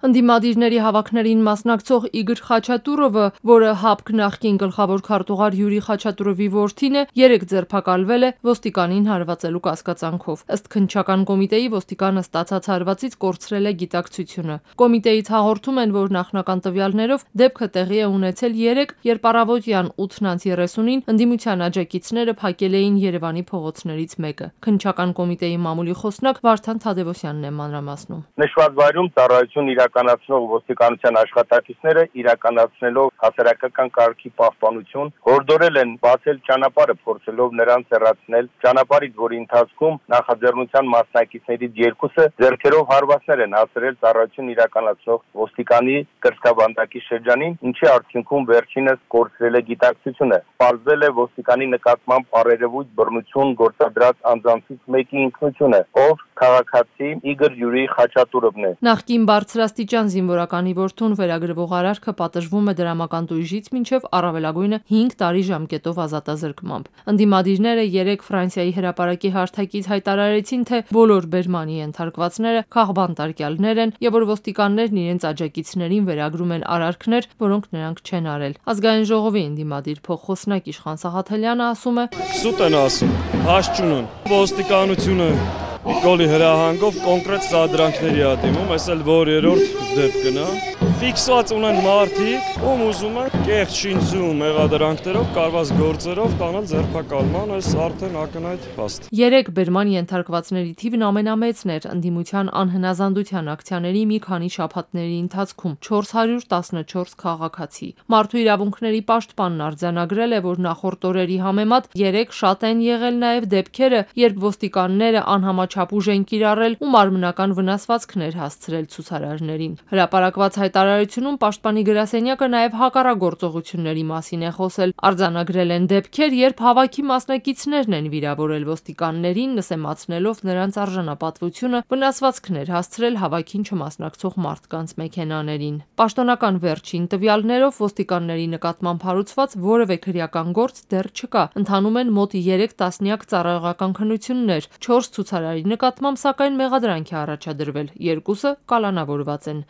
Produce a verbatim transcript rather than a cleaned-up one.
Ընդդիմադիրների հավաքներին մասնակցող Իգոր Խաչատուրովը, որը ՀԱՊԿ նախկին գլխավոր քարտուղար Յուրի Խաչատուրովի որդին է, երեկ ձերբակալվել է ոստիկանին հարվածելու կասկածանքով։ Ըստ քննչական կոմիտեի, ոստիկանը ստացած հարվածից կորցրել է գիտակցությունը։ Կոմիտեից հաղորդում են, որ նախնական տվյալներով դեպքը տեղի է ունեցել երեկ, երբ առավոտյան ութ երեսունին ընդդիմության աջակիցները փակել էին Երևանի փողոցներից մեկը։ Քննչական կոմիտեի մամուլի խոսնակ Վարդան Թադևոսյանն է մանրամասնում։ Նշված վայրում ծառայություն իրականացնող ոստիկանության աշխատակիցները իրականացնելով հասարակական կարգի պահպանություն հորդորել են բացել ճանապարհը, փորձելով նրանց հեռացնել ճանապարհից, որի ընթացքում նախաձեռնության մասնակիցներից երկուսը ձեռքերով հարվածներ են հասցրել ծառայություն իրականացնող ոստիկանի կրծքաբանդակի շրջանին, ինչի արդյունքում վերջինս կորցրել է գիտակցությունը։ Պարզվել է ոստիկանի նկատմամբ առերևույթ բռնություն գործադրած անձանցից մեկի ինքնությունը, ով քաղաքացի Իգոր Յուրի Խաչատուրովն է։ Նախկին բարձրաստիճան զինվորականի որդուն վերագրվող արարքը պատժվում է դրամական տույժից մինչև առավելագույնը հինգ տարի ժամկետով ազատազրկմամբ։ Ընդդիմադիրները երեկ Ֆրանսիայի հրապարակի հարթակից հայտարարեցին, թե բոլոր բերմանի ենթարկվածները քաղբան տարկյալներ են եւ որ ոստիկաններն իրենց աջակիցներին վերագրում են արարքներ, որոնք նրանք չեն արել։ Ազգային ժողովի ընդդիմադիր փոխխոսնակ Իշխան Սաղաթելյանը ասում է. Սուտ են ասում, հաշճուն են, ոստիկանությունը Նիկոլի հրահանգով կոնկրետ սադրանքների ա դիմում, այս էլ որ երրորդ դեպքն է։ Ֆիքսված ունեն մարդիկ, ում ուզում են կեղծ շինծու մեղադրանքներով, կարված գործերով տանել ձերբակալման, այս արդեն ակնհայտ փաստ։ Երեկ բերման ենթարկվածների թիվն ամենամեծն էր ընդդիմության անհնազանդության ակցիաների մի քանի շաբաթների ընթացքում՝ չորս հարյուր տասնչորս քաղաքացի։ Մարդու իրավունքների պաշտպանն արձանագրել է, որ նախորդ օրերի համեմատ երեկ շատ են եղել նաև դեպքերը, երբ ոստիկանները անհամաչափ ուժ են կիրառել ու մարմնական վնասվածքներ հասցրել ցուցարարներին։ Հրապարակված հայտարարությունում պաշտպանի գրասենյակը նաև հակառակգործողությունների մասին է խոսել։ Արձանագրել են դեպքեր, երբ հավաքի մասնակիցներն են վիրավորել ոստիկաններին, նսեմացնելով նրանց արժանապատվությունը, վնասվածքներ հասցրել հավաքին չմասնակցող մարդկանց մեքենաներին։ Պաշտոնական վերջին տվյալներով ոստիկանների նկատմամբ հարուցված որևէ քրեական գործ դեռ չկա։ Ընթանում են մոտ երեք տասնյակ ծառայողական քննություններ, չորս ցուցարարի նկատմամբ սակայն մեղադրանք է առաջադրվել, երկուսը կալանավորված են։